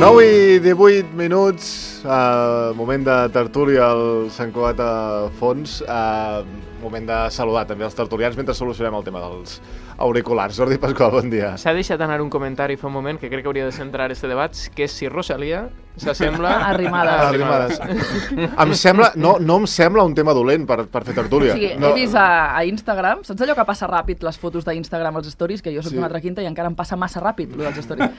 9 i 18 minuts, moment de tertúlia al Sant Cugat a fons, moment de saludar també els tertulians mentre solucionem el tema dels auriculars. Jordi Pasqual, bon dia. S'ha deixat anar un comentari fa un moment que crec que hauria de centrar este debat, que és si Rosalía s'assembla a Arrimadas. Em sembla, no em sembla un tema dolent per fer tertúlia. O sigui, he vist a Instagram, saps allò que passa ràpid les fotos d'Instagram als stories, que jo soc d'una altra quinta i encara em passa massa ràpid lo dels stories.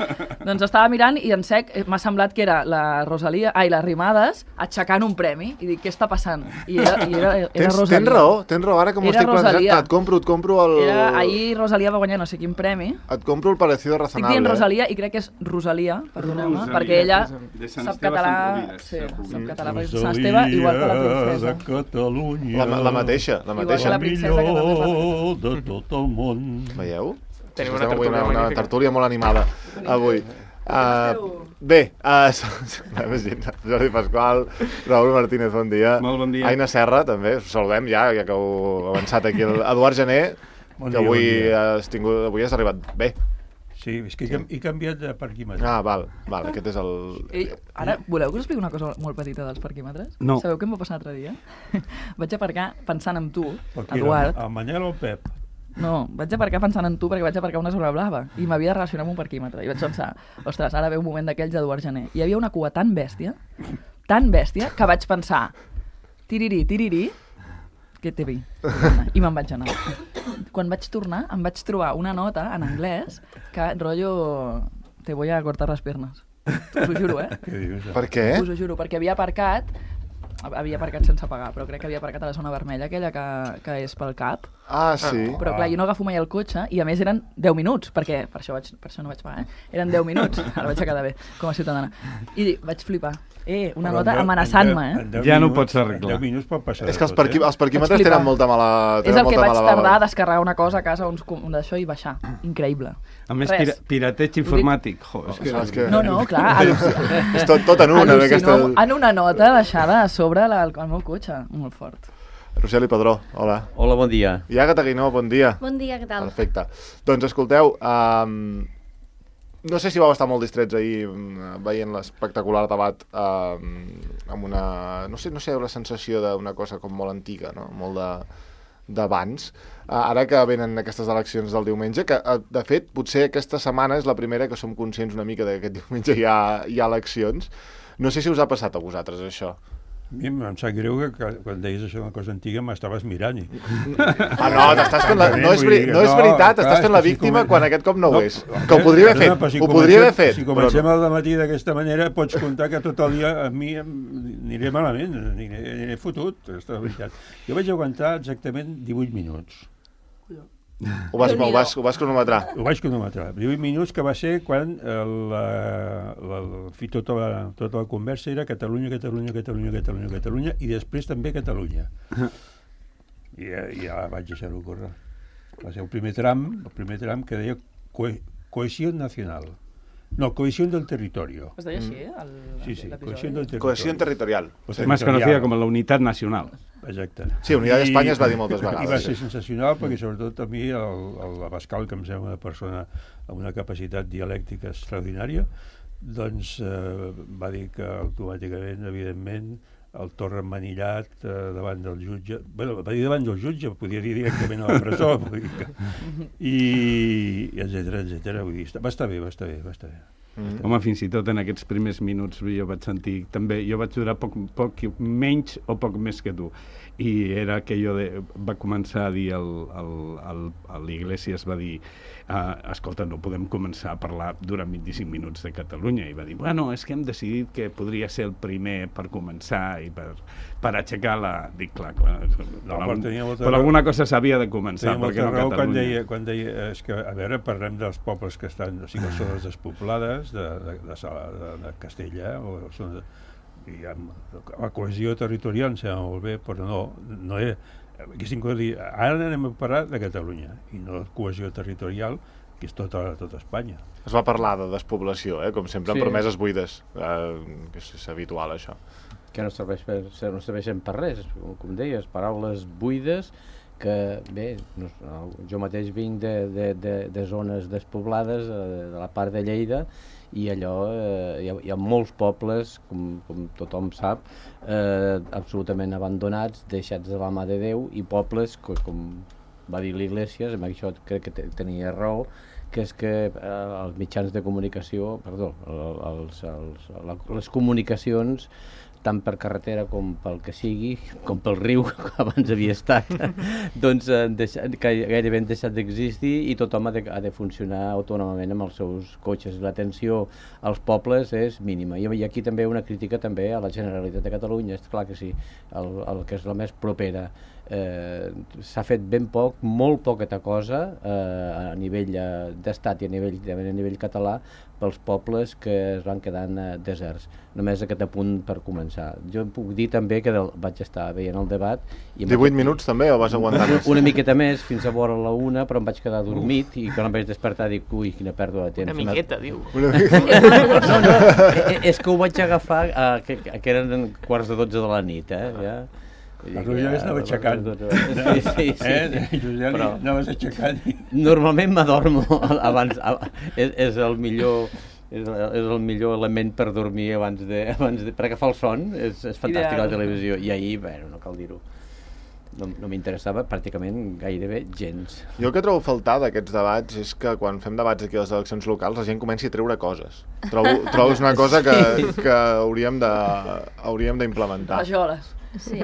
Doncs estava mirant i en sec m'ha semblat que era la Rosalía, la Arrimadas aixecant un premi i dic, què està passant? I era Rosalía. Tens raó, ara que m'ho estic plantejant, et compro el... Ahir Rosalía va guanyar no sé quin premi. Et compro el parecido razonable. Estic dient Rosalía i crec que és Rosalia, perdoneu-me, perquè ella sap català, sap català perquè és Sant Esteve, igual que la princesa. Catalunya, la mateixa. Igual que la princesa, que també millor de tot el món. Veieu? Tenim una tertúlia molt animada avui. Bé, Jordi Pasqual, Raúl Martínez, bon dia. Molt bon dia. Aina Serra, també, us saludem ja que heu avançat aquí. Eduard Gené, que avui has arribat bé. Sí, és que he canviat de parquímetre. Val, aquest és el... Ara, voleu que us expliqui una cosa molt petita dels parquímetres? No. Sabeu què em va passar l'altre dia? Vaig aparcar pensant en tu, Eduard. El Manel o el Pep? No, vaig aparcar pensant en tu perquè vaig aparcar una zona blava i m'havia de relacionar amb un parquímetre. I vaig pensar, ostres, ara ve un moment d'aquells d'Eduard Gené. Hi havia una cua tan bèstia, que vaig pensar, tiriri, que te vi. I me'n vaig anar. Quan vaig tornar, em vaig trobar una nota en anglès que, rotllo, te voy a cortar las piernas. Us ho juro, Per què? Us ho juro, perquè havia aparcat sense pagar, però crec que havia aparcat a la zona vermella, aquella que és pel CAP. Sí. Però clar, jo no agafo mai el cotxe i a més eren 10 minuts, perquè per això no vaig pagar, Eren 10 minuts, ara vaig a quedar bé, com a ciutadana. I vaig flipar. Una nota amenaçant-me, Ja no ho pots arreglar. 10 minuts pot passar. És que els parquímetres tenen molta mala... És el que vaig tardar a descarregar una cosa a casa, d'això, i baixar. Increïble. A més, pirateig informàtic. No, clar. És tot en una. En una nota deixada a sobre el meu cotxe. Molt fort. Roseli Padró, hola. Hola, bon dia. Iaga Taguinó, bon dia. Bon dia, què tal? Perfecte. Doncs escolteu, no sé si vau estar molt distrets ahir veient l'espectacular debat amb una... No sé, la sensació d'una cosa com molt antiga, no? Molt d'abans. Ara que venen aquestes eleccions del diumenge, que de fet potser aquesta setmana és la primera que som conscients una mica que aquest diumenge hi ha eleccions. No sé si us ha passat a vosaltres això. A mi em sap greu que quan deies això una cosa antiga m'estaves mirant. No, t'estàs fent no és veritat, estàs fent la víctima quan aquest cop no ho és. Que ho podria haver fet. Si comencem al matí d'aquesta manera, pots comptar que tot el dia a mi aniré malament, aniré fotut, aquesta veritat. Jo vaig aguantar exactament 18 minuts. Ho vas cronometrar? Ho vaig cronometrar. 18 minuts, que va ser quan tota la conversa era Catalunya, i després també Catalunya. I ja vaig deixar-ho córrer. Va ser el primer tram que deia cohesión nacional. No, cohesión del territorio. Es deia així, Sí, cohesión del territorio. Cohesión territorial. Más conocida com la unitat nacional. Exacte. Sí, Unitat d'Espanya es va dir moltes vegades. I va ser sensacional perquè sobretot a mi l'Abascal, que em sembla una persona amb una capacitat dialèctica extraordinària, doncs va dir que automàticament, evidentment, el Torra emmanillat davant del jutge, va dir davant del jutge, podia dir directament a la presó, i etcètera, vull dir, va estar bé. Home, fins i tot en aquests primers minuts jo vaig sentir, també, jo vaig durar poc menys o poc més que tu, i era que va començar a dir l'Iglesias va dir, escolta, no podem començar a parlar durant 25 minuts de Catalunya, i va dir, bueno, és que hem decidit que podria ser el primer per començar i per aixecar la... Dic, clar, per alguna cosa s'havia de començar, perquè no Catalunya. Quan deia, és que, a veure, parlem dels pobles que estan, o sigui, les zones despoblades, de Castella, i la cohesió territorial em sembla molt bé, però no és... Ara anem a parlar de Catalunya i no de cohesió territorial, que és tota Espanya. Es va parlar de despoblació, com sempre, amb promeses buides, que és habitual, això. Que no serveixen per res, com deies, paraules buides que, bé, jo mateix vinc de zones despoblades, de la part de Lleida, i allò hi ha molts pobles, com tothom sap, absolutament abandonats, deixats de la mà de Déu, i pobles, com va dir l'Iglesias, amb això crec que tenia raó, que és que els mitjans de comunicació, les comunicacions, tant per carretera com pel que sigui, com pel riu, que abans havia estat, doncs gairebé han deixat d'existir i tothom ha de funcionar autònomament amb els seus cotxes. L'atenció als pobles és mínima. I aquí també una crítica també a la Generalitat de Catalunya, és clar que sí, el que és la més propera. S'ha fet ben poc, molt poqueta cosa a nivell d'estat i a nivell català pels pobles que es van quedant deserts. Només aquest apunt per començar. Jo puc dir també que vaig estar veient el debat... 18 minuts també o vas aguantar més? Una miqueta més, fins a vora la 1, però em vaig quedar dormit i quan em vaig despertar dic, ui, quina pèrdua de temps. Una miqueta, diu. No, és que ho vaig agafar que eren 11:45 de la nit, ja. Tu ja estava aixecant. Sí. Tu ja anaves aixecant. Normalment m'adormo abans, és el millor element per dormir abans de per agafar el son, és fantàstic la televisió, i ahir, no cal dir-ho, no m'interessava pràcticament gairebé gens. Jo el que trobo a faltar d'aquests debats és que quan fem debats aquí a les eleccions locals la gent comenci a treure coses. Trobo és una cosa que hauríem d'implementar. Rajoles. Sí.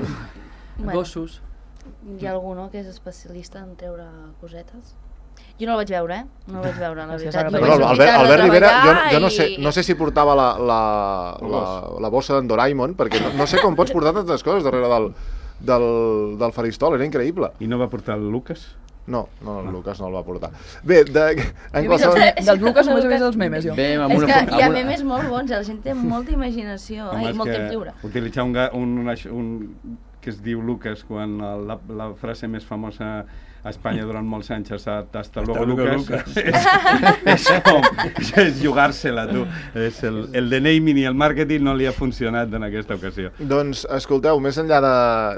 Gossos. Hi ha algú, no?, que és especialista en treure cosetes? Jo no el vaig veure, No el vaig veure, la veritat. Albert Rivera, jo no sé si portava la bossa d'en Doraemon, perquè no sé com pots portar tantes coses darrere del faristol, era increïble. I no va portar el Lucas? No, el Lucas no el va portar. Bé, del Lucas només he vist els memes, jo. És que hi ha memes molt bons, la gent té molta imaginació i molt temps lliure. Utilitzar un que es diu Lucas quan la frase més famosa a Espanya durant molts anys ha estat hasta luego Lucas. És jugar-se-la, tu. El de naming i el màrqueting no li ha funcionat en aquesta ocasió. Doncs, escolteu, més enllà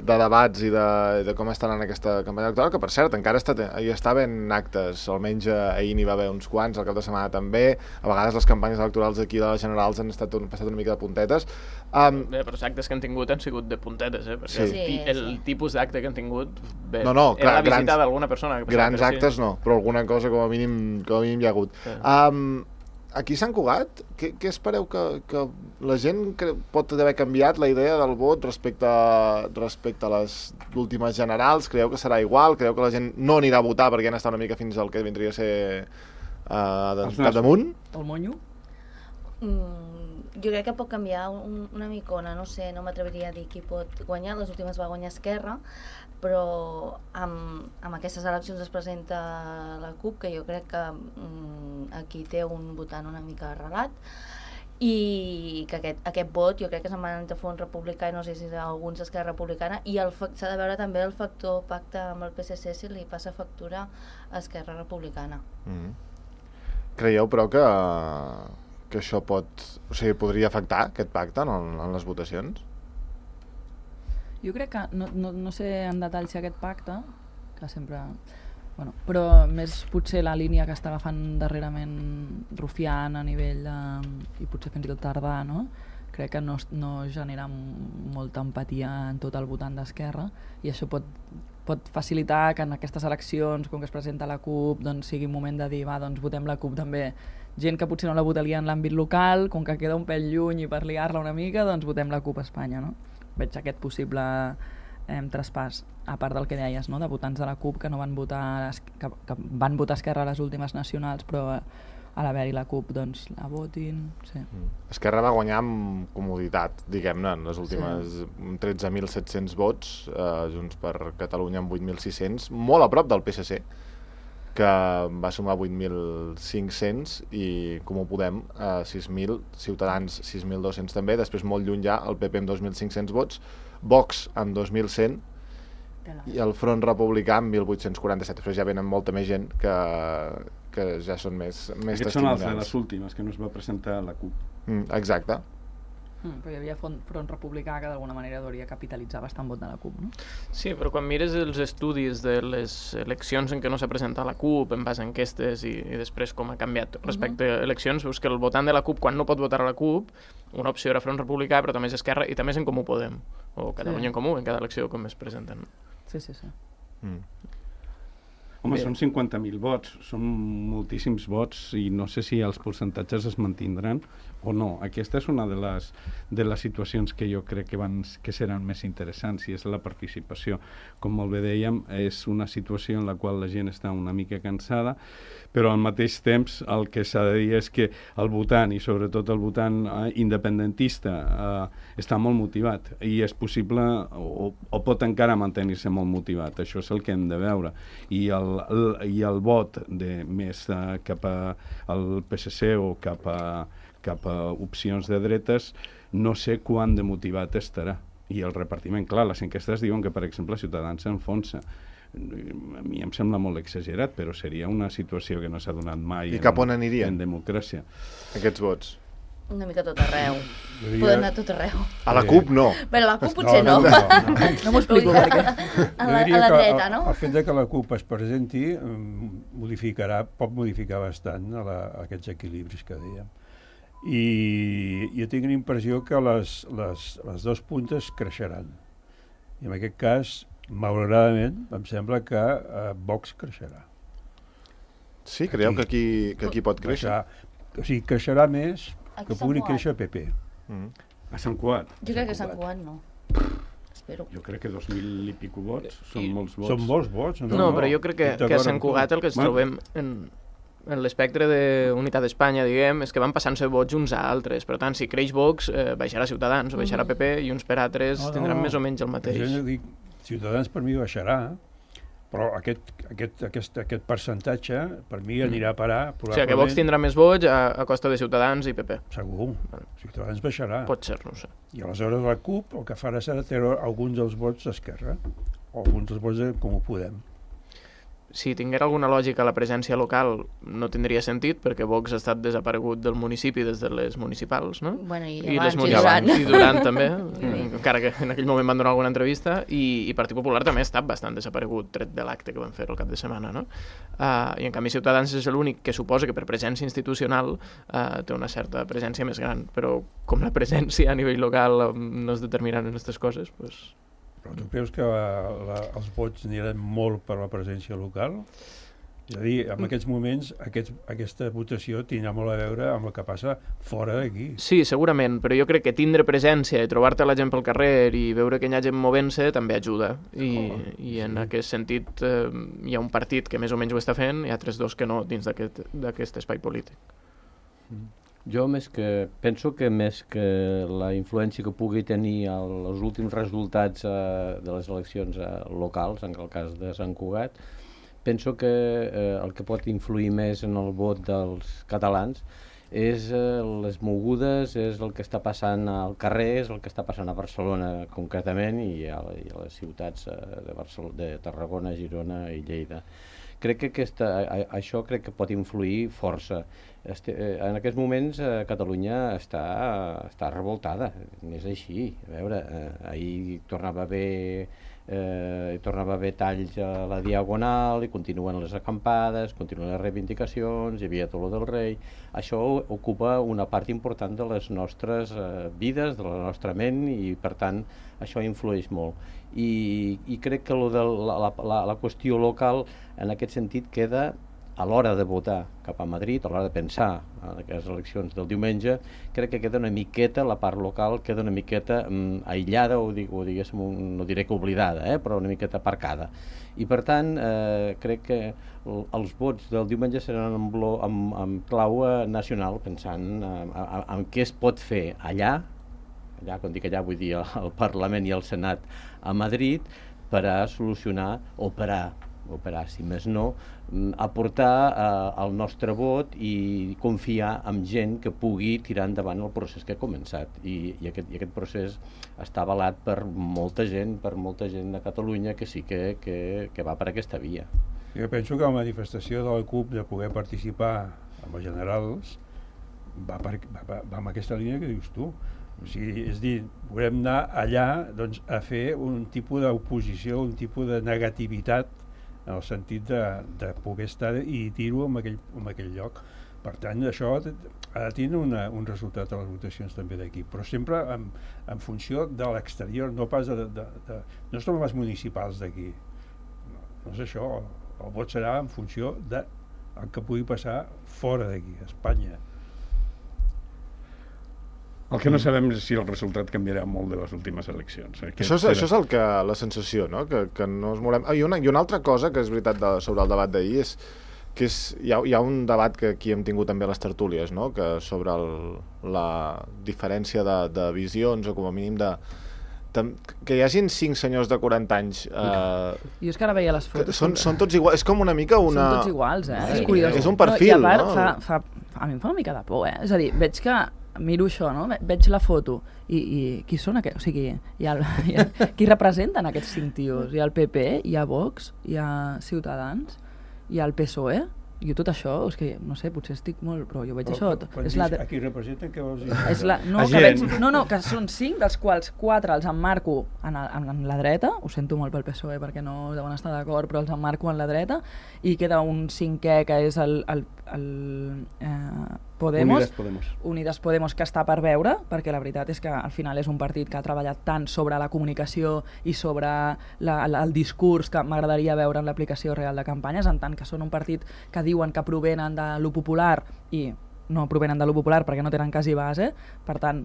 de debats i de com estan en aquesta campanya electoral, que per cert encara hi està havent actes, almenys ahir n'hi va haver uns quants, el cap de setmana també, a vegades les campanyes electorals aquí de les generals han passat una mica de puntetes. Bé, però els actes que han tingut han sigut de puntetes, perquè el tipus d'acte que han tingut, bé, era la visita d'alguna persona. Grans actes no, però alguna cosa com a mínim hi ha hagut. Aquí a Sant Cugat, què espereu que la gent pot haver canviat la idea del vot respecte a les últimes generals? Creieu que serà igual? Creieu que la gent no anirà a votar perquè han estat una mica fins al que vindria a ser capdamunt? El monyo? Jo crec que pot canviar una micona, no sé, no m'atreviria a dir qui pot guanyar, les últimes va guanyar Esquerra, però amb aquestes eleccions es presenta la CUP, que jo crec que aquí té un votant una mica arrelat, i que aquest vot jo crec que se'n van a fons republicà i no sé si alguns d'Esquerra Republicana, i s'ha de veure també el factor pacte amb el PSC si li passa factura a Esquerra Republicana. Creieu, però, que això podria afectar aquest pacte en les votacions? Jo crec que, no sé en detall si aquest pacte, que sempre... però més potser la línia que està agafant darrerament Rufián a nivell i potser fins i tot Tardà, no? Crec que no genera molta empatia en tot el votant d'Esquerra, i això pot facilitar que en aquestes eleccions, com que es presenta la CUP, doncs sigui un moment de dir, doncs votem la CUP també. Gent que potser no la votaria en l'àmbit local, com que queda un pèl lluny i per liar-la una mica, doncs votem la CUP a Espanya, no? Veig aquest possible traspàs, a part del que deies, no? De votants de la CUP que no van votar, que van votar Esquerra a les últimes nacionals, però a l'haver-hi la CUP doncs la votin. Sí. Esquerra va guanyar amb comoditat, diguem-ne, en les últimes 13.700 vots, Junts per Catalunya amb 8.600, molt a prop del PSC, que va sumar 8.500, i Comú Podem 6.000, Ciutadans 6.200 també, després molt lluny ja el PP amb 2.500 vots, Vox amb 2.100 i el Front Republicà amb 1.847. Després ja venen molta més gent que ja són més testimonials. Aquests són els de les últimes, que no es va presentar a la CUP. Exacte. Però hi havia Front Republicà que d'alguna manera hauria capitalitzar bastant vot de la CUP, no? Sí, però quan mires els estudis de les eleccions en què no s'ha presentat la CUP, en base a enquestes i després com ha canviat respecte a eleccions, veus que el votant de la CUP, quan no pot votar a la CUP, una opció era Front Republicà, però també és Esquerra i també és en Comú Podem, o Catalunya en Comú, en cada elecció com es presenten. Sí. Home, són 50.000 vots, són moltíssims vots i no sé si els percentatges es mantindran o no. Aquesta és una de les situacions que jo crec que seran més interessants, i és la participació. Com molt bé dèiem, és una situació en la qual la gent està una mica cansada, però al mateix temps el que s'ha de dir és que el votant, i sobretot el votant independentista, està molt motivat i és possible o pot encara mantenir-se molt motivat. Això és el que hem de veure. I el vot més cap al PSC o cap a opcions de dretes, no sé quant de motivat estarà. I el repartiment, clar, les enquestes diuen que, per exemple, Ciutadans s'enfonsa. A mi em sembla molt exagerat, però seria una situació que no s'ha donat mai en democràcia. Aquests vots? Una mica tot arreu. Poden anar tot arreu. A la CUP no. Bé, a la CUP potser no. No m'ho explico per què. A la dreta, no? El fet que la CUP es presenti pot modificar bastant aquests equilibris que dèiem. I jo tinc la impressió que les dues puntes creixeran. I en aquest cas, malauradament, em sembla que Vox creixerà. Sí? Creieu que aquí pot créixer? O sigui, creixerà més que pugui créixer PP. A Sant Cugat? Jo crec que a Sant Cugat no. Espero. Jo crec que 2.000 i pico vots són molts vots. Són molts vots. No, però jo crec que a Sant Cugat el que ens trobem en l'espectre d'unitat d'Espanya, diguem, és que van passant-se vots uns a altres. Per tant, si creix Vox, baixarà Ciutadans o baixarà PP i uns per altres tindran més o menys el mateix. Jo dic, Ciutadans per mi baixarà, però aquest percentatge per mi anirà a parar probablement... O sigui, que Vox tindrà més vots a costa de Ciutadans i PP. Segur. Ciutadans baixarà. Pot ser, no sé. I aleshores la CUP el que farà serà treure alguns dels vots d'Esquerra o alguns dels vots de Comú Podem. Si tinguera alguna lògica la presència local no tindria sentit, perquè Vox ha estat desaparegut del municipi des de les municipals, no? Bueno, i durant també, encara que en aquell moment van donar alguna entrevista, i Partit Popular també ha estat bastant desaparegut, tret de l'acte que van fer el cap de setmana, no? I en canvi Ciutadans és l'únic que suposa que per presència institucional té una certa presència més gran, però com la presència a nivell local no es determinen en aquestes coses, doncs... Però tu creus que els vots aniran molt per la presència local? És a dir, en aquests moments aquesta votació tindrà molt a veure amb el que passa fora d'aquí. Sí, segurament, però jo crec que tindre presència i trobar-te la gent pel carrer i veure que hi ha gent movent-se també ajuda. I en aquest sentit hi ha un partit que més o menys ho està fent, hi ha 3-2 que no dins d'aquest espai polític. Jo penso que més que la influència que pugui tenir els últims resultats de les eleccions locals, en el cas de Sant Cugat, penso que el que pot influir més en el vot dels catalans és les mogudes, és el que està passant al carrer, és el que està passant a Barcelona concretament i a les ciutats de Tarragona, Girona i Lleida. Crec que això crec que pot influir força. En aquests moments Catalunya està revoltada, és així. A veure, ahir tornava a haver talls a la Diagonal i continuen les acampades, continuen les reivindicacions, hi havia tot el del rei. Això ocupa una part important de les nostres vides, de la nostra ment, i per tant això influeix molt. I crec que la qüestió local en aquest sentit queda a l'hora de votar cap a Madrid, a l'hora de pensar en les eleccions del diumenge, crec que queda una miqueta, la part local queda una miqueta aïllada, o diguéssim, no diré que oblidada, però una miqueta aparcada. I per tant, crec que els vots del diumenge seran en clau nacional, pensant en què es pot fer allà, quan dic allà vull dir al Parlament i al Senat a Madrid, per a solucionar, operar, si més no, aportar el nostre vot i confiar en gent que pugui tirar endavant el procés que ha començat. I aquest procés està avalat per molta gent de Catalunya que sí que va per aquesta via. Jo penso que la manifestació de la CUP de poder participar amb els generals va amb aquesta línia que dius tu. O sigui, és dir, volem anar allà doncs, a fer un tipus d'oposició, un tipus de negativitat en el sentit de poder estar i dir-ho en aquell lloc. Per tant, això ha de tenir un resultat a les votacions també d'aquí, però sempre en funció de l'exterior, no pas no són les municipals d'aquí. No és això, el vot serà en funció del que pugui passar fora d'aquí, a Espanya. El que no sabem és si el resultat canviarà molt de les últimes eleccions. Això és la sensació, no? Que no es morem. I una altra cosa que és veritat sobre el debat d'ahir és que hi ha un debat que aquí hem tingut també a les tertúlies, no? Que sobre la diferència de visions o com a mínim que hi hagin 5 senyors de 40 anys jo és que ara veia les fotos són tots iguals, és com una mica són tots iguals, és curiós. És un perfil, no? I a part, a mi em fa una mica de por, és a dir, veig que miro això, no? Veig la foto i qui són aquests? O sigui, qui representen aquests 5 tios? Hi ha el PP, hi ha Vox, hi ha Ciutadans, hi ha el PSOE, jo tot això, és que no sé, potser estic molt, però jo veig això. A qui representen, què vols dir? Que són 5, dels quals 4 els emmarco en la dreta, ho sento molt pel PSOE perquè no deuen estar d'acord, però els emmarco en la dreta, i queda un 5è que és el Podemos, Unides Podemos, que està per veure, perquè la veritat és que al final és un partit que ha treballat tant sobre la comunicació i sobre el discurs que m'agradaria veure en l'aplicació real de campanyes, en tant que són un partit que diuen que provenen de lo popular i no provenen de lo popular perquè no tenen quasi base, per tant,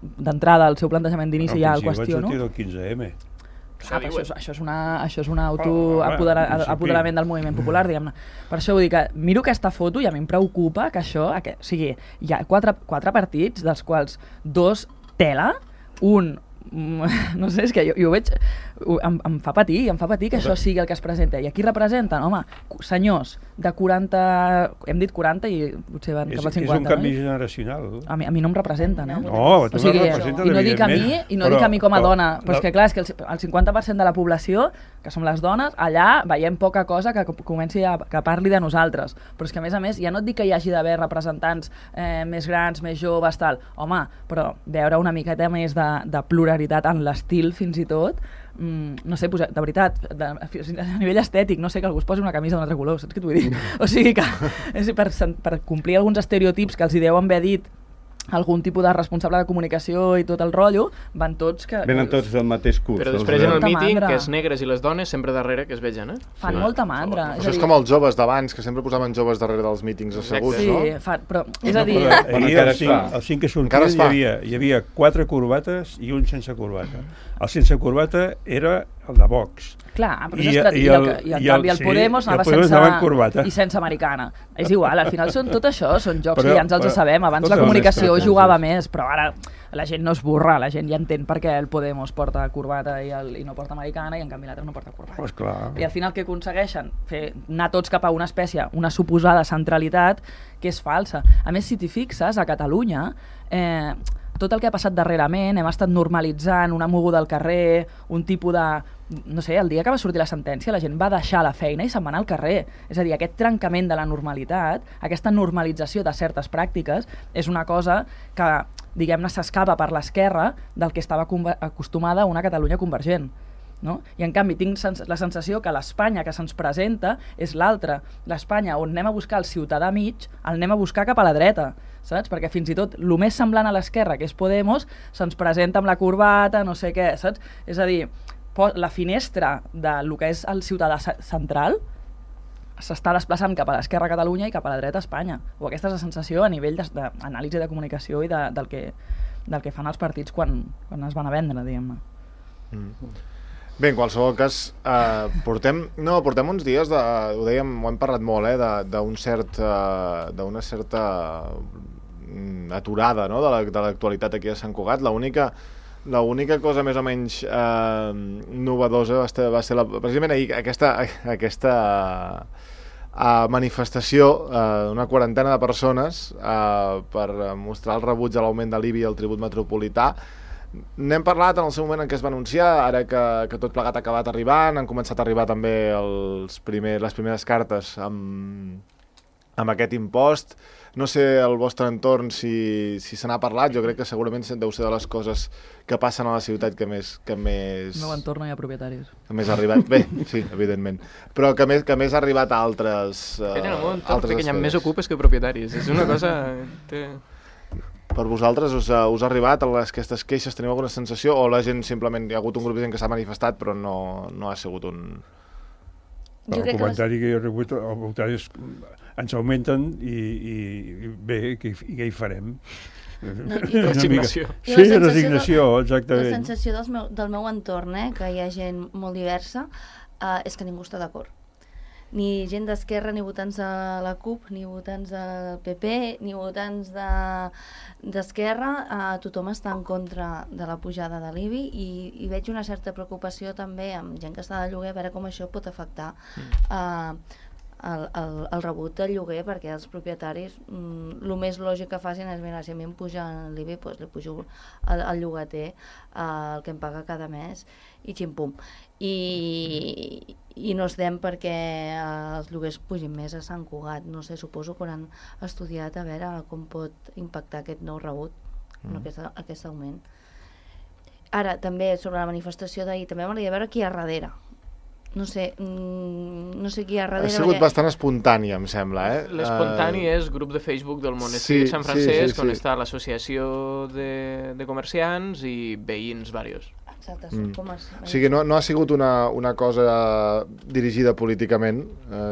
d'entrada el seu plantejament d'inici ja el qüestiono. Van sortir del 15M. Això és un apoderament del moviment popular, diguem-ne. Per això vull dir que miro aquesta foto i a mi em preocupa que això, o sigui, hi ha 4 partits, dels quals 2 tela, un no sé, és que jo veig, em fa patir que això sigui el que es presenta. I aquí representen, home, senyors de 40, hem dit 40 i potser van cap al 50. És un canvi generacional. A mi no em representen, eh? No, tu no representes, i no dic a mi com a dona, però és que clar, és que el 50% de la població, que som les dones, allà veiem poca cosa que comenci que parli de nosaltres. Però és que a més, ja no et dic que hi hagi d'haver representants més grans, més joves, tal. Home, però veure una miqueta més de pluralitat en l'estil, fins i tot, no sé, de veritat, a nivell estètic, no sé, que algú es posi una camisa d'un altre color, saps què t'ho vull dir? O sigui que per complir alguns estereotips que els hi deuen haver dit algun tipus de responsable de comunicació i tot el rotllo, venen tots del mateix curs. Però després en el míting, que els negres i les dones sempre darrere que es vegen, eh? Fan molta mandra. Això és com els joves d'abans, que sempre posaven joves darrere dels mítings asseguts, no? Sí, però és a dir... El 5 que sortia hi havia 4 corbates i un sense corbata. El sense corbata era el de Vox. Clar, però i en canvi el Podemos anava sense americana. És igual, al final tot això són jocs que ja ens els sabem. Abans la comunicació jugava més, però ara la gent no es burra, la gent ja entén per què el Podemos porta corbata i no porta americana i en canvi l'altre no porta corbata. Pues clar. I al final què aconsegueixen? Anar tots cap a una espècie, una suposada centralitat que és falsa. A més, si t'hi fixes, a Catalunya tot el que ha passat darrerament, hem estat normalitzant una moguda al carrer, un tipus de... No sé, el dia que va sortir la sentència la gent va deixar la feina i se'n va anar al carrer. És a dir, aquest trencament de la normalitat, aquesta normalització de certes pràctiques, és una cosa que, diguem-ne, s'escapa per l'esquerra del que estava acostumada a una Catalunya convergent. No? I en canvi tinc la sensació que l'Espanya que se'ns presenta és l'altra. L'Espanya on anem a buscar el ciutadà mig, el anem a buscar cap a la dreta, saps? Perquè fins i tot el més semblant a l'esquerra, que és Podemos, se'ns presenta amb la corbata, no sé què, saps? És a dir, la finestra del que és el ciutadà central s'està desplaçant cap a l'esquerra a Catalunya i cap a la dreta a Espanya. O aquesta és la sensació a nivell d'anàlisi de comunicació i del que fan els partits quan es van a vendre, diguem-ne. Bé, en qualsevol cas, portem uns dies, ho dèiem, ho hem parlat molt, d'una certa aturada, no?, de l'actualitat aquí a Sant Cugat. L'única cosa més o menys novedosa va ser precisament ahir aquesta manifestació d'una quarantena de persones per mostrar el rebuig a l'augment de l'IBI i el tribut metropolità. N'hem parlat en el seu moment en què es va anunciar, ara que tot plegat ha acabat arribant, han començat a arribar també les primeres cartes amb amb aquest impost. No sé al vostre entorn si se n'ha parlat, jo crec que segurament deu ser de les coses que passen a la ciutat que més... Al meu entorn no hi ha propietaris. Que més ha arribat... Bé, sí, evidentment. Però que més ha arribat a altres En el món, altres que hi ha esferes. més ocupes que propietaris. És una cosa... Per vosaltres us ha arribat aquestes queixes? Teniu alguna sensació? O la gent simplement... Hi ha hagut un grup de gent que s'ha manifestat però no ha sigut un... Jo El crec que comentari que jo he rebut, els voluntaris ens augmenten i bé, què hi farem? No, Resignació. Sí, resignació, exactament. La sensació del meu entorn, que hi ha gent molt diversa, és que ningú està d'acord. Ni gent d'Esquerra, ni votants de la CUP, ni votants del PP, ni votants d'Esquerra, tothom està en contra de la pujada de l'IBI i veig una certa preocupació també amb gent que està de lloguer a veure com això pot afectar el rebut del lloguer, perquè els propietaris el més lògic que facin és, mira, si a mi em puja l'IBI, doncs li pujo al llogater el que em paga cada mes i xim-pum. I no estem perquè els lloguers pugin més a Sant Cugat. No sé, suposo que han estudiat a veure com pot impactar aquest nou rebut, aquest augment. Ara, també, sobre la manifestació d'ahir, també m'agradaria veure qui hi ha darrere. No sé qui hi ha darrere. Ha sigut bastant espontània, em sembla, L'espontani és grup de Facebook del monestir de Sant Francesc, on està l'associació de comerciants i veïns varios. Exacte, són com els... O sigui, no ha sigut una cosa dirigida políticament,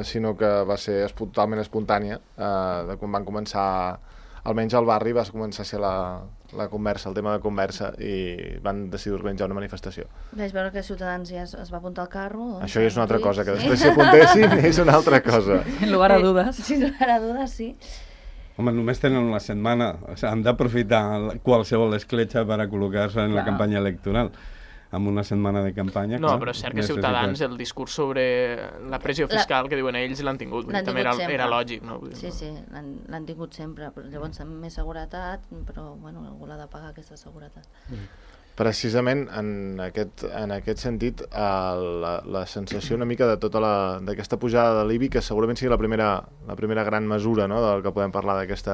sinó que va ser totalment espontània. De quan van començar, almenys al barri, va començar a ser la conversa, el tema de conversa, i van decidir organitzar una manifestació. Vaig veure que Ciutadans ja es va apuntar al carro. Doncs, això ja és una altra cosa, que després s'hi apuntessin és una altra cosa. En lugar a dudes. Sí, en lugar a dudes, sí. Home, només tenen una setmana. O sigui, han d'aprofitar qualsevol escletxa per a col·locar-se en la campanya electoral. Amb una setmana de campanya... No, però és cert que Ciutadans, el discurs sobre la pressió fiscal que diuen ells, l'han tingut. També era lògic, no? Sí, l'han tingut sempre. Però llavors amb més seguretat, però bueno, algú l'ha de pagar aquesta seguretat. Precisament en aquest sentit, la sensació una mica de tota d'aquesta pujada de l'IBI, que segurament sigui la primera gran mesura, no?, del que podem parlar d'aquest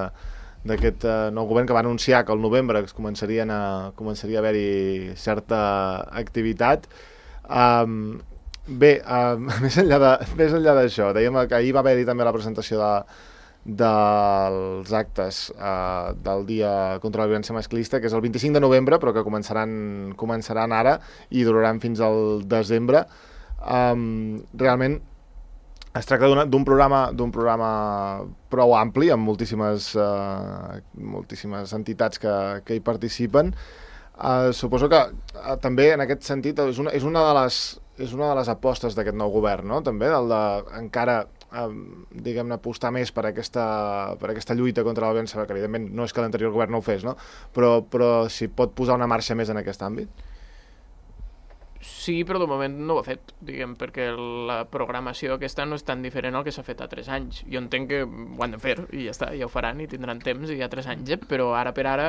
nou govern, que va anunciar que al novembre començaria a haver-hi certa activitat. Bé, més enllà d'això, dèiem que ahir va haver-hi també la presentació dels actes del Dia contra la Violència Masclista, que és el 25 de novembre, però que començaran ara i duraran fins al desembre. Realment es tracta d'un programa prou ampli, amb moltíssimes entitats que hi participen. Suposo que també en aquest sentit és una de les apostes d'aquest nou govern, no? També encara diguem-ne, apostar més per aquesta lluita contra la violència, que evidentment no és que l'anterior govern no ho fes, no? Però si pot posar una marxa més en aquest àmbit. Sí, però de moment no ho ha fet, diguem, perquè la programació aquesta no és tan diferent al que s'ha fet a 3 anys. Jo entenc que ho han de fer i ja està, ja ho faran i tindran temps i hi ha 3 anys, però ara per ara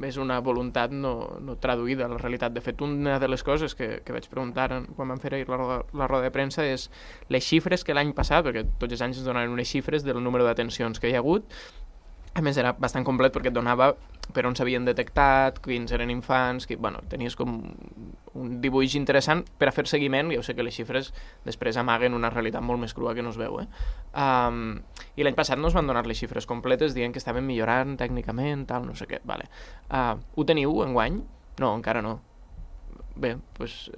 és una voluntat no traduïda a la realitat. De fet, una de les coses que vaig preguntar quan vam fer ahir la roda de premsa és les xifres que l'any passat, perquè tots els anys ens donaven unes xifres del número d'atencions que hi ha hagut. A més, era bastant complet perquè et donava per on s'havien detectat, quins eren infants, tenies com un dibuix interessant per a fer seguiment. Ja ho sé que les xifres després amaguen una realitat molt més crua que no es veu. I l'any passat no es van donar les xifres completes dient que estaven millorant tècnicament, tal, no sé què. Vale. Ho teniu enguany? No, encara no. Bé, doncs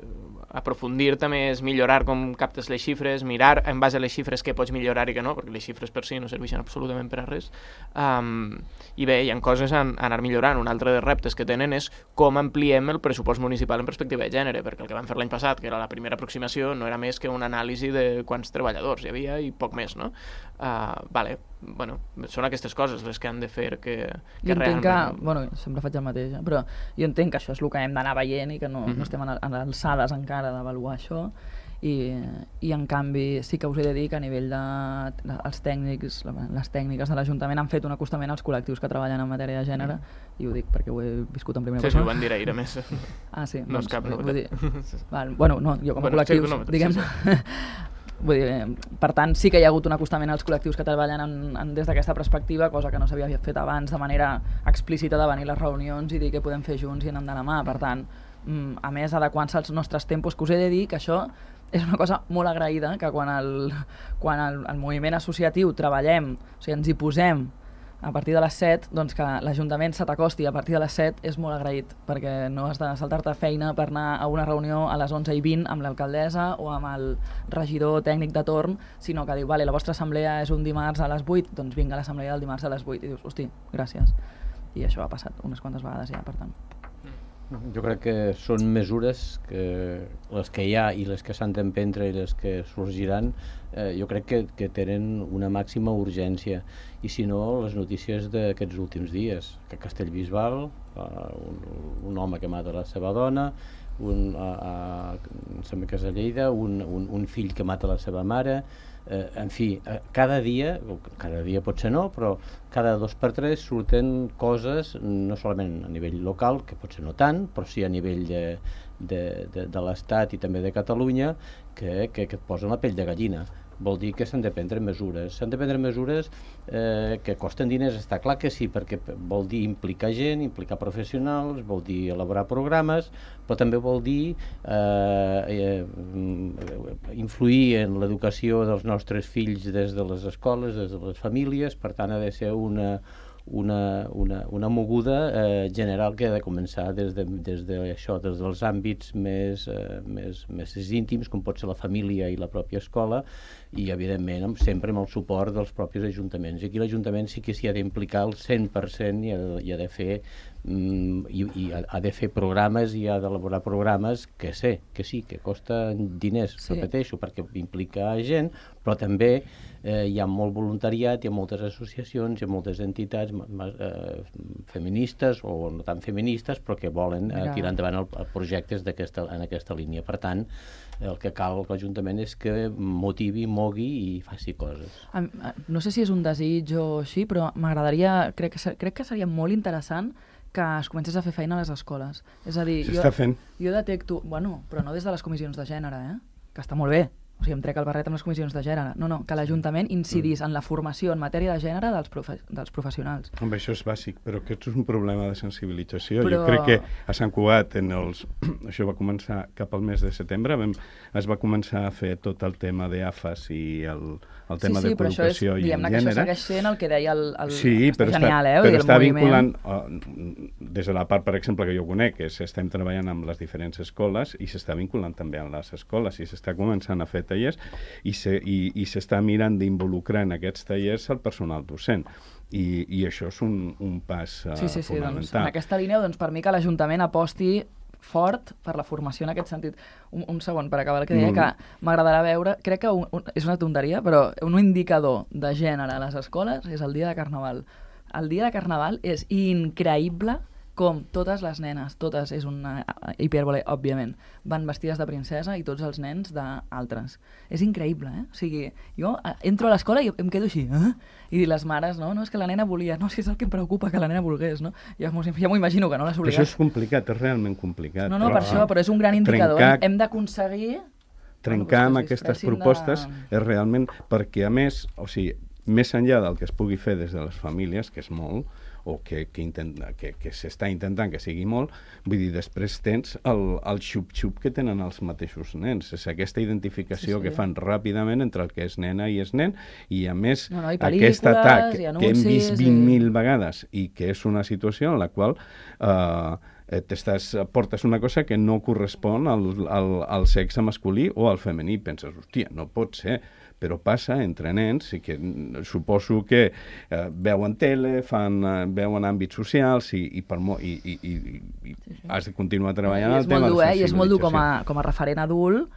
aprofundir també és millorar com captes les xifres, mirar en base a les xifres què pots millorar i què no, perquè les xifres per si no serveixen absolutament per a res. I bé, hi ha coses a anar millorant. Un altre dels reptes que tenen és com ampliem el pressupost municipal en perspectiva de gènere, perquè el que vam fer l'any passat, que era la primera aproximació, no era més que una anàlisi de quants treballadors hi havia i poc més, no? Són aquestes coses les que han de fer que realment... sempre faig el mateix, però jo entenc que això és el que hem d'anar veient i que no estem a alçades encara d'avaluar això, i en canvi sí que us he de dir que a nivell dels tècnics, les tècniques de l'Ajuntament han fet un acostament als col·lectius que treballen en matèria de gènere, i ho dic perquè ho he viscut en primera persona. Sí, ho van dir ahir, a més. Ah, sí. No és cap novetat. Jo com a col·lectius, diguem-ne, Vull dir, per tant, sí que hi ha hagut un acostament als col·lectius que treballen des d'aquesta perspectiva, cosa que no s'havia fet abans de manera explícita de venir a les reunions i dir què podem fer junts i anar de la mà. Per tant, a més, adequant-se als nostres tempos, que us he de dir que això és una cosa molt agraïda, que quan el moviment associatiu treballem, o sigui, ens hi posem a partir de les 7, doncs que l'Ajuntament se t'acosti a partir de les 7 és molt agraït, perquè no has de saltar-te feina per anar a una reunió a les 11:20 amb l'alcaldessa o amb el regidor tècnic de torn, sinó que diu, vale, la vostra assemblea és un dimarts a les 8, doncs vinga a l'assemblea del dimarts a les 8, i dius, hosti, gràcies. I això ha passat unes quantes vegades ja, per tant. Jo crec que són mesures que les que hi ha i les que s'han d'emprendre i les que sorgiran, jo crec que tenen una màxima urgència. I si no, les notícies d'aquests últims dies, que a Castellbisbal, un home que mata la seva dona, sembla que és a Lleida, un fill que mata la seva mare, en fi, cada dia potser no, però cada 2 per 3 surten coses, no solament a nivell local, que potser no tant, però sí a nivell de l'Estat i també de Catalunya, que et posen la pell de gallina. Vol dir que s'han de prendre mesures. S'han de prendre mesures que costen diners, està clar que sí, perquè vol dir implicar gent, implicar professionals, vol dir elaborar programes, però també vol dir influir en l'educació dels nostres fills des de les escoles, des de les famílies. Per tant, ha de ser una moguda general que ha de començar des dels àmbits més íntims, com pot ser la família i la pròpia escola, i evidentment sempre amb el suport dels propis ajuntaments. I aquí l'Ajuntament sí que s'hi ha d'implicar al 100% i ha de fer programes i ha d'elaborar programes que sí, que costen diners, repeteixo, perquè implica gent, però també hi ha molt voluntariat, hi ha moltes associacions, hi ha moltes entitats feministes o no tan feministes, però que volen tirar endavant projectes en aquesta línia. Per tant, el que cal l'Ajuntament és que motivi, mogui i faci coses. No sé si és un desig o així, però m'agradaria, crec que seria molt interessant que es comencés a fer feina a les escoles. És a dir, s'està fent. Jo detecto, bueno, però no des de les comissions de gènere, que està molt bé. O sigui, em trec el barret amb les comissions de gènere. No, que l'Ajuntament incidís en la formació en matèria de gènere dels professionals. Home, això és bàsic, però aquest és un problema de sensibilització. Jo crec que a Sant Cugat, això va començar cap al mes de setembre, es va començar a fer tot el tema d'AFAS i el tema de col·locació i en gènere. Que això segueix sent el que deia el genial, però està vinculant, des de la part, per exemple, que jo conec, que estem treballant amb les diferents escoles i s'està vinculant també amb les escoles i s'està començant a fer tallers i s'està mirant d'involucrar en aquests tallers el personal docent. I això és un pas fonamental. Doncs, en aquesta línia, per mi que l'Ajuntament aposti fort per la formació en aquest sentit. Un segon, per acabar el que deia, que m'agradarà veure, crec que és una tonteria, però un indicador de gènere a les escoles és el dia de Carnaval. El dia de Carnaval és increïble com totes les nenes, totes, és una hipèrbole, òbviament, van vestides de princesa i tots els nens d'altres. És increïble, O sigui, jo entro a l'escola i em quedo així, i les mares, no, és que la nena volia, no, si és el que em preocupa, que la nena volgués, no? Ja m'ho imagino que no les obligat. Però això és complicat, és realment complicat. No, per això, però és un gran indicador. Hem d'aconseguir... Trencar amb aquestes propostes és realment perquè, a més, o sigui, més enllà del que es pugui fer des de les famílies, que és molt, o que s'està intentant que sigui molt, vull dir, després tens el xup-xup que tenen els mateixos nens. És aquesta identificació que fan ràpidament entre el que és nena i és nen, i a més aquest atac que hem vist 20.000 vegades i que és una situació en la qual portes una cosa que no correspon al sexe masculí o al femení. Penses, hòstia, no pot ser, però passa entre nens i que suposo que veuen tele, veuen àmbits socials i has de continuar treballant el tema de la sensibilització. I és molt dur com a referent adult,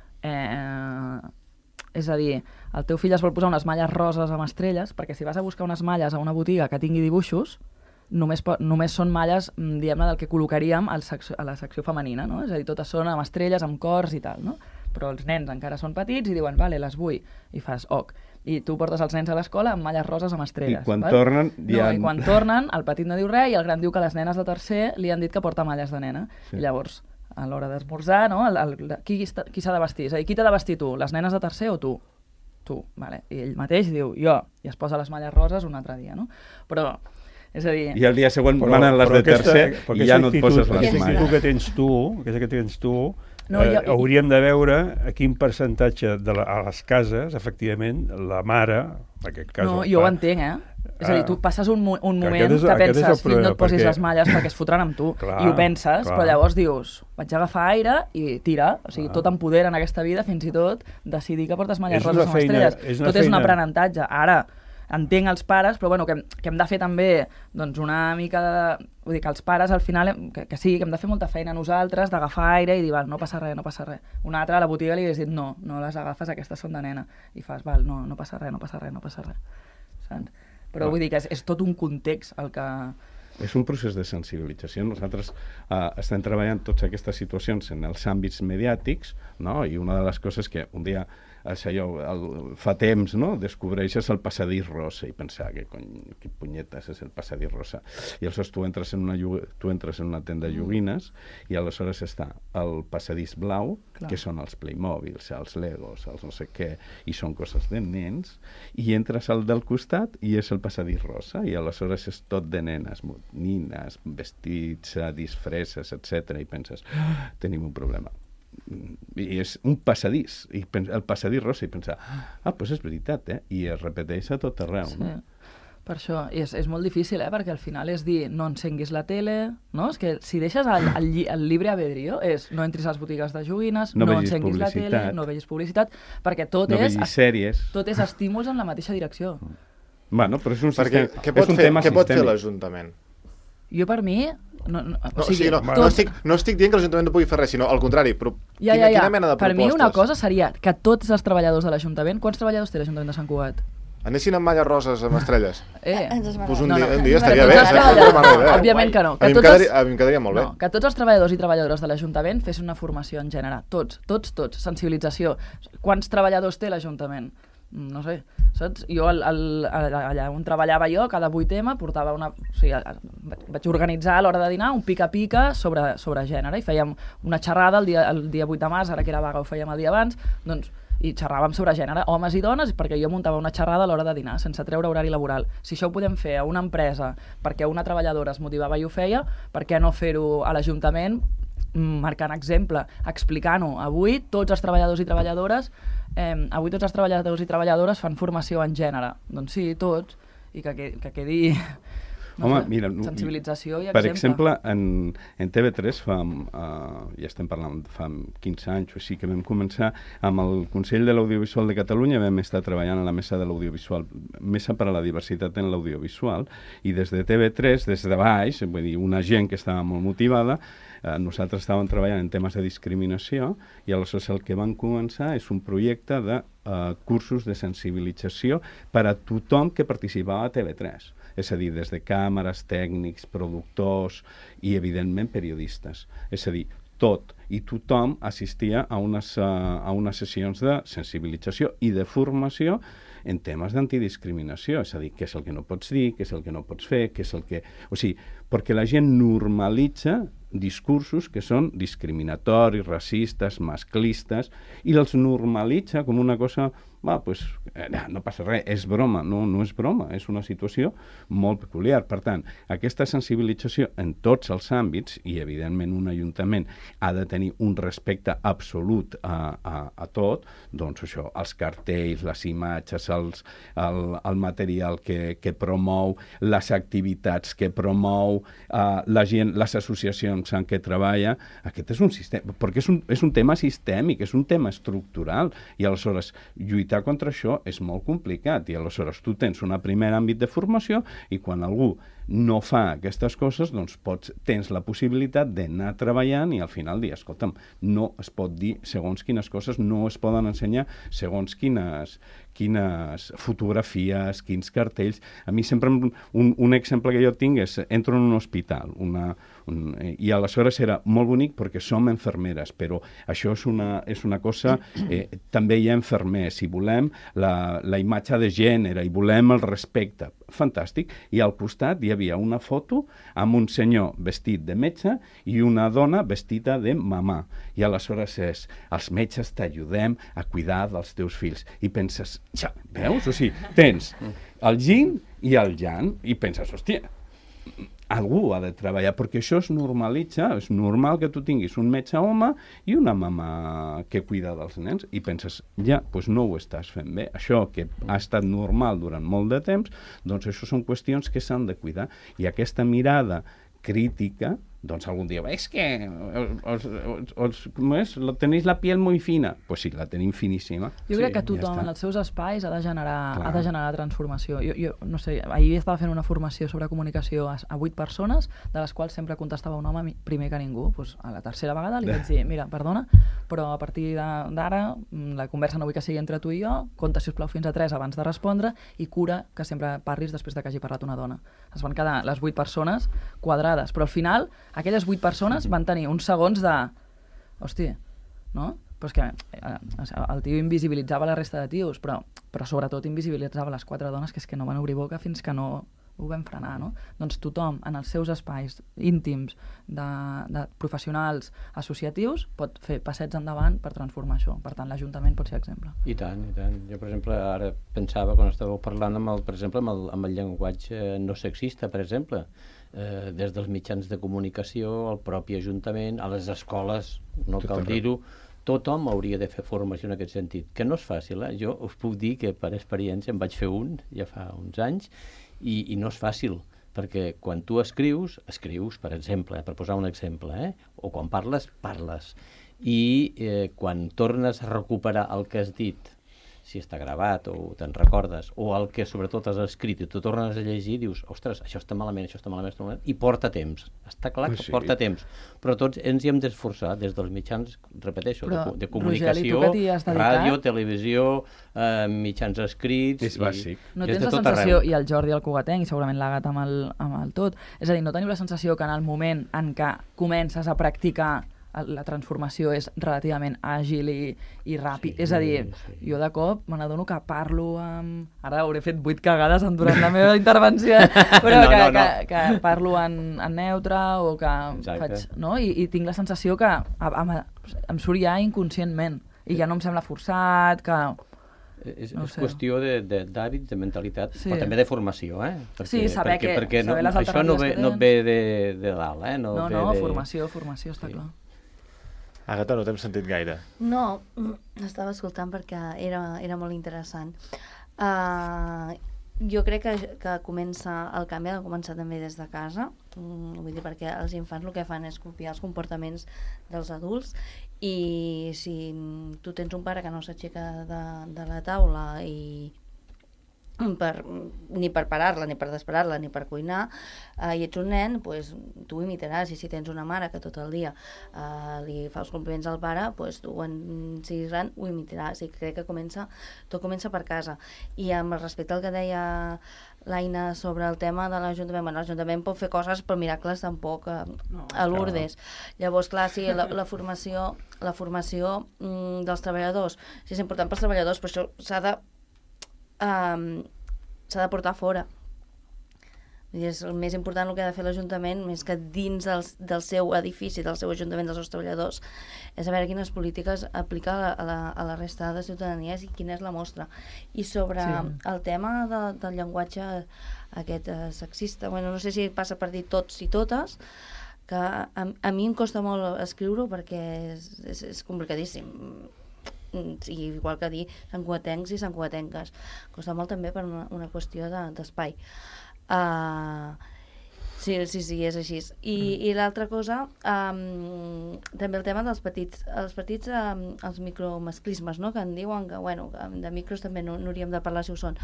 és a dir, el teu fill es vol posar unes malles roses amb estrelles, perquè si vas a buscar unes malles a una botiga que tingui dibuixos, només són malles, diguem-ne, del que col·locaríem a la secció femenina, no? És a dir, totes són amb estrelles, amb cors i tal, no? Però els nens encara són petits i diuen, vale, les vull, i fas, ok. I tu portes els nens a l'escola amb malles roses amb estrelles. I quan tornen... I quan tornen, el petit no diu res i el gran diu que les nenes de tercer li han dit que porta malles de nena. I llavors, a l'hora d'esmorzar, no? Qui s'ha de vestir? És a dir, qui t'ha de vestir tu? Les nenes de tercer o tu? tu, vale? I ell mateix diu jo, i es posa les malles roses un altre dia, no? Però, és a dir... I el dia següent manen les de tercer i ja no et poses les Aquesta malles. actitud que tens tu, No, hauríem de veure a quin percentatge a les cases, efectivament, la mare, en aquest cas... No, jo ho entenc, És a dir, tu passes un moment que penses, fill, no et posis les malles perquè es fotran amb tu, i ho penses, però llavors dius, vaig agafar aire i tira, o sigui, tot empodera en aquesta vida, fins i tot decidir que portes malles roses amb estrelles. Tot és un aprenentatge. Ara, entenc els pares, però bueno, que hem de fer també doncs, una mica de... Vull dir que els pares al final, que sí, que hem de fer molta feina nosaltres, d'agafar aire i dir, val, no passa res, no passa res. Una altra a la botiga li hagués dit, no les agafes, aquestes són de nena. I fas, val, no passa res, no passa res, no passa res. Saps? Però vull dir que és tot un context el que... És un procés de sensibilització. Nosaltres estem treballant totes aquestes situacions en els àmbits mediàtics, no? I una de les coses que un dia fa temps, no? Descobreixes el passadís rosa i pensar que punyetes és el passadís rosa. I aleshores tu entres en una tenda de joguines i aleshores està el passadís blau, que són els Playmobils, els Legos, els no sé què, i són coses de nens, i entres al del costat i és el passadís rosa, i aleshores és tot de nenes, nines, vestits, disfresses, etc. I penses, tenim un problema. I és un passadís, i el passadís rosa, i pensar, doncs és veritat, i es repeteix a tot arreu. Sí. No? Per això, és molt difícil, perquè al final és dir, no encenguis la tele, no? És que si deixes el libre albedrío, no entris a les botigues de joguines, no encenguis la tele, no vegis publicitat, perquè tot és estímuls en la mateixa direcció. Bueno, però és un tema sistèmic. Què pot fer l'Ajuntament? Jo, per mi... No estic dient que l'Ajuntament no pugui fer res, sinó al contrari, però quina mena de propostes? Per mi una cosa seria que tots els treballadors de l'Ajuntament... Quants treballadors té l'Ajuntament de Sant Cugat? Anessin amb malles roses amb estrelles? Pues un dia estaria bé. Òbviament que no. A mi em quedaria molt bé. Que tots els treballadors i treballadores de l'Ajuntament fessin una formació en gènere. Tots. Sensibilització. Quants treballadors té l'Ajuntament? No sé, saps? Jo allà on treballava jo, cada 8M portava vaig organitzar a l'hora de dinar un pica-pica sobre gènere i fèiem una xerrada el dia 8 de març, ara que era vaga ho fèiem el dia abans, doncs, i xerràvem sobre gènere, homes i dones, perquè jo muntava una xerrada a l'hora de dinar, sense treure horari laboral. Si això ho podem fer a una empresa perquè una treballadora es motivava i ho feia, per què no fer-ho a l'Ajuntament, marcant exemple, explicant-ho? Avui tots els treballadors i treballadores fan formació en gènere. Doncs sí, tots, i que quedi... Mira, sensibilització i exemple. Per exemple, en TV3 ja estem parlant fa 15 anys o així que vam començar amb el Consell de l'Audiovisual de Catalunya, vam estar treballant a la mesa de l'audiovisual, mesa per a la diversitat en l'audiovisual, i des de TV3, des de baix, vull dir, una gent que estava molt motivada, nosaltres estàvem treballant en temes de discriminació i aleshores el que vam començar és un projecte de cursos de sensibilització per a tothom que participava a TV3. És a dir, des de càmeres, tècnics, productors i, evidentment, periodistes. És a dir, tot i tothom assistia a unes sessions de sensibilització i de formació en temes d'antidiscriminació, és a dir, què és el que no pots dir, què és el que no pots fer, què és el que... O sigui, perquè la gent normalitza discursos que són discriminatoris, racistes, masclistes, i els normalitza com una cosa... no passa res, és broma. No és broma, és una situació molt peculiar. Per tant, aquesta sensibilització en tots els àmbits, i evidentment un ajuntament ha de tenir un respecte absolut a tot, doncs això, els cartells, les imatges, el material que promou, les activitats que promou, la gent, les associacions en què treballa, aquest és un sistema, perquè és un tema sistèmic, és un tema estructural, i aleshores lluitar contra això és molt complicat, i aleshores tu tens un primer àmbit de formació i quan algú no fa aquestes coses, doncs tens la possibilitat d'anar treballant i al final dir, escolta'm, no es pot dir segons quines coses, no es poden ensenyar segons quines fotografies, quins cartells. A mi sempre un exemple que jo tinc és, entro en un hospital, i aleshores era molt bonic perquè som infermeres, però això és una cosa, també hi ha infermers, i volem la imatge de gènere, i volem el respecte. fantàstic. I al costat hi havia una foto amb un senyor vestit de metge i una dona vestida de mamà. I aleshores els metges t'ajudem a cuidar dels teus fills. I penses, ja, veus? O sigui, tens el yin i el yang, i penses, hòstia, algú ha de treballar, perquè això es normalitza, és normal que tu tinguis un metge home i una mama que cuida dels nens, i penses, ja, doncs no ho estàs fent bé. Això que ha estat normal durant molt de temps, doncs això són qüestions que s'han de cuidar, i aquesta mirada crítica, doncs algun dia, és que tenéis la piel muy fina. Pues sí, la tenim finíssima. Jo crec que tothom en els seus espais ha de generar transformació. Jo no sé, ahir estava fent una formació sobre comunicació a 8 persones, de les quals sempre contestava un home primer que ningú. Pues a la tercera vegada li vaig dir, mira, perdona, però a partir d'ara la conversa no vull que sigui entre tu i jo, compta, sisplau, fins a 3 abans de respondre i cura que sempre parlis després de que hagi parlat una dona. Es van quedar les 8 persones quadrades, però al final aquelles 8 persones van tenir uns segons de... Hòstia, no? Però és que el tio invisibilitzava la resta de tios, però sobretot invisibilitzava les 4 dones que és que no van obrir boca fins que no ho vam frenar, no? Doncs tothom, en els seus espais íntims de professionals associatius, pot fer passets endavant per transformar això. Per tant, l'Ajuntament pot ser exemple. I tant, i tant. Jo, per exemple, ara pensava, quan estàveu parlant, per exemple, amb el llenguatge no sexista, per exemple, des dels mitjans de comunicació, al propi Ajuntament, a les escoles, no cal dir-ho, tothom hauria de fer formació en aquest sentit, que no és fàcil, eh? Jo us puc dir que per experiència en vaig fer un, ja fa uns anys, i no és fàcil, perquè quan tu escrius, per exemple, per posar un exemple, o quan parles, i quan tornes a recuperar el que has dit, si està gravat o te'n recordes, o el que sobretot has escrit i tu tornes a llegir, dius, ostres, això està malament, i porta temps. Està clar que porta temps. Però tots ens hi hem d'esforçar des dels mitjans, repeteixo, de comunicació, ràdio, televisió, mitjans escrits... És bàsic. No tens la sensació, i el Jordi el Cugatenc, i segurament l'Agat amb el tot, és a dir, no teniu la sensació que en el moment en què comences a practicar la transformació és relativament àgil i ràpid. És a dir, jo de cop me n'adono que parlo amb... Ara hauré fet 8 cagades durant la meva intervenció, però que parlo en neutre o que faig... No? I tinc la sensació que em surt ja inconscientment i ja no em sembla forçat, que... És qüestió d'hàbits, de mentalitat, però també de formació, Sí, saber les alternatives això no et ve de dalt, No, formació, està clar. Àgata, no t'hem sentit gaire. No, estava escoltant perquè era molt interessant. Jo crec que el canvi ha de començar també des de casa, vull dir, perquè els infants el que fan és copiar els comportaments dels adults, i si tu tens un pare que no s'aixeca de la taula ni per parar-la, ni per desparar-la, ni per cuinar, i ets un nen, doncs tu ho imitaràs. I si tens una mare que tot el dia li fa els compliments al pare, doncs tu quan siguis gran ho imitaràs. I crec que tot comença per casa. I amb respecte al que deia l'Aina sobre el tema de l'Ajuntament, l'Ajuntament pot fer coses, però miracles tampoc a Lourdes. Llavors, clar, sí, la formació dels treballadors, sí, és important pels treballadors, però això s'ha de portar fora. És el més important el que ha de fer l'Ajuntament, més que dins del seu edifici, del seu Ajuntament, dels seus treballadors, és a veure quines polítiques aplica a la resta de ciutadanies i quina és la mostra. I sobre el tema del llenguatge aquest sexista, bueno, no sé si passa per dir tots i totes, que a mi em costa molt escriure-ho perquè és complicadíssim. Igual que dir santcugatencs i santcugatenques, costa molt també per una qüestió d'espai. Sí, és així. I l'altra cosa, també el tema dels petits, els micromasclismes, no? Que en diuen que, bueno, de micros també no hauríem de parlar si ho són.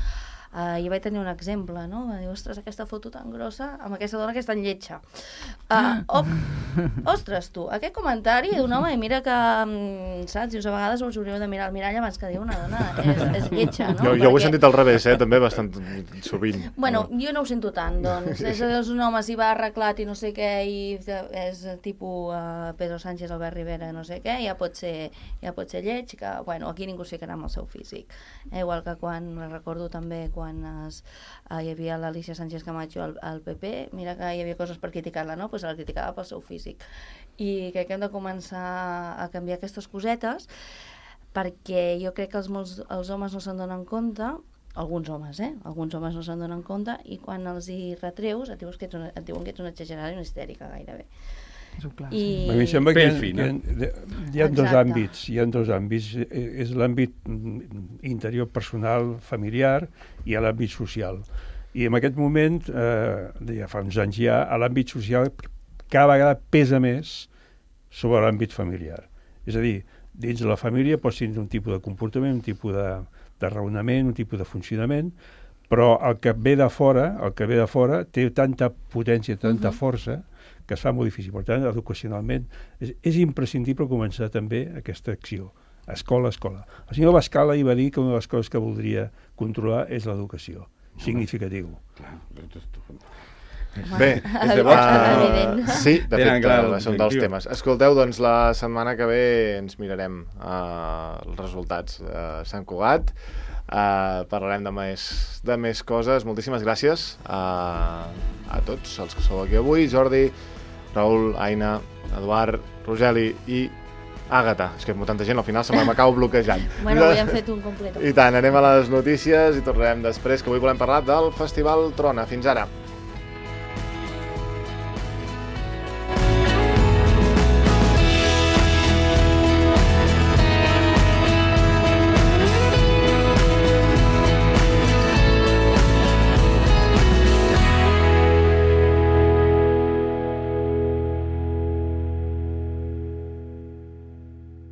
Jo vaig tenir un exemple, no? Va dir, ostres, aquesta foto tan grossa amb aquesta dona que és tan lletja. Ostres, tu, aquest comentari d'un home, i mira que, saps, dius, a vegades us hauríeu de mirar al mirall abans que dir una dona és lletja, no? Jo ho he sentit al revés, també, bastant sovint. Bueno, jo no ho sento tant, doncs. És un home s'hi va arreglat i no sé què, i és tipus Pedro Sánchez, Albert Rivera, no sé què, ja pot ser lleig, que, bueno, aquí ningú es ficarà amb el seu físic. Igual que quan, recordo també, quan quan hi havia l'Alicia Sánchez Camacho al PP, mira que hi havia coses per criticar-la, no? Pues la criticava pel seu físic. I crec que hem de començar a canviar aquestes cosetes, perquè jo crec que els homes no se'n donen compte, alguns homes no se'n donen compte, i quan els hi retreus et diuen que ets una exagerada i una histèrica gairebé. I... A mi em sembla que hi ha dos àmbits. És l'àmbit interior personal, familiar, i l'àmbit social. I en aquest moment, ja fa uns anys ja, l'àmbit social cada vegada pesa més sobre l'àmbit familiar. És a dir, dins de la família pots tenir un tipus de comportament, un tipus de raonament, un tipus de funcionament, però el que ve de fora té tanta potència, tanta força, que es fa molt difícil. Per tant, educacionalment, és imprescindible començar també aquesta acció. Escola. El senyor Bascal ahir va dir que una de les coses que voldria controlar és l'educació. Significatiu. Bé, sí, de Tenen fet, clar són dels temes. Escolteu, doncs la setmana que ve ens mirarem els resultats a Sant Cugat, parlarem de més coses. Moltíssimes gràcies a tots els que sou aquí avui. Jordi, Raül, Aina, Eduard, Rogeli i Àgata. És que tanta gent al final se m'acaba bloquejant. Bueno, avui hem fet un complet. I tant, anem a les notícies i tornarem després, que avui volem parlar del Festival Trona. Fins ara.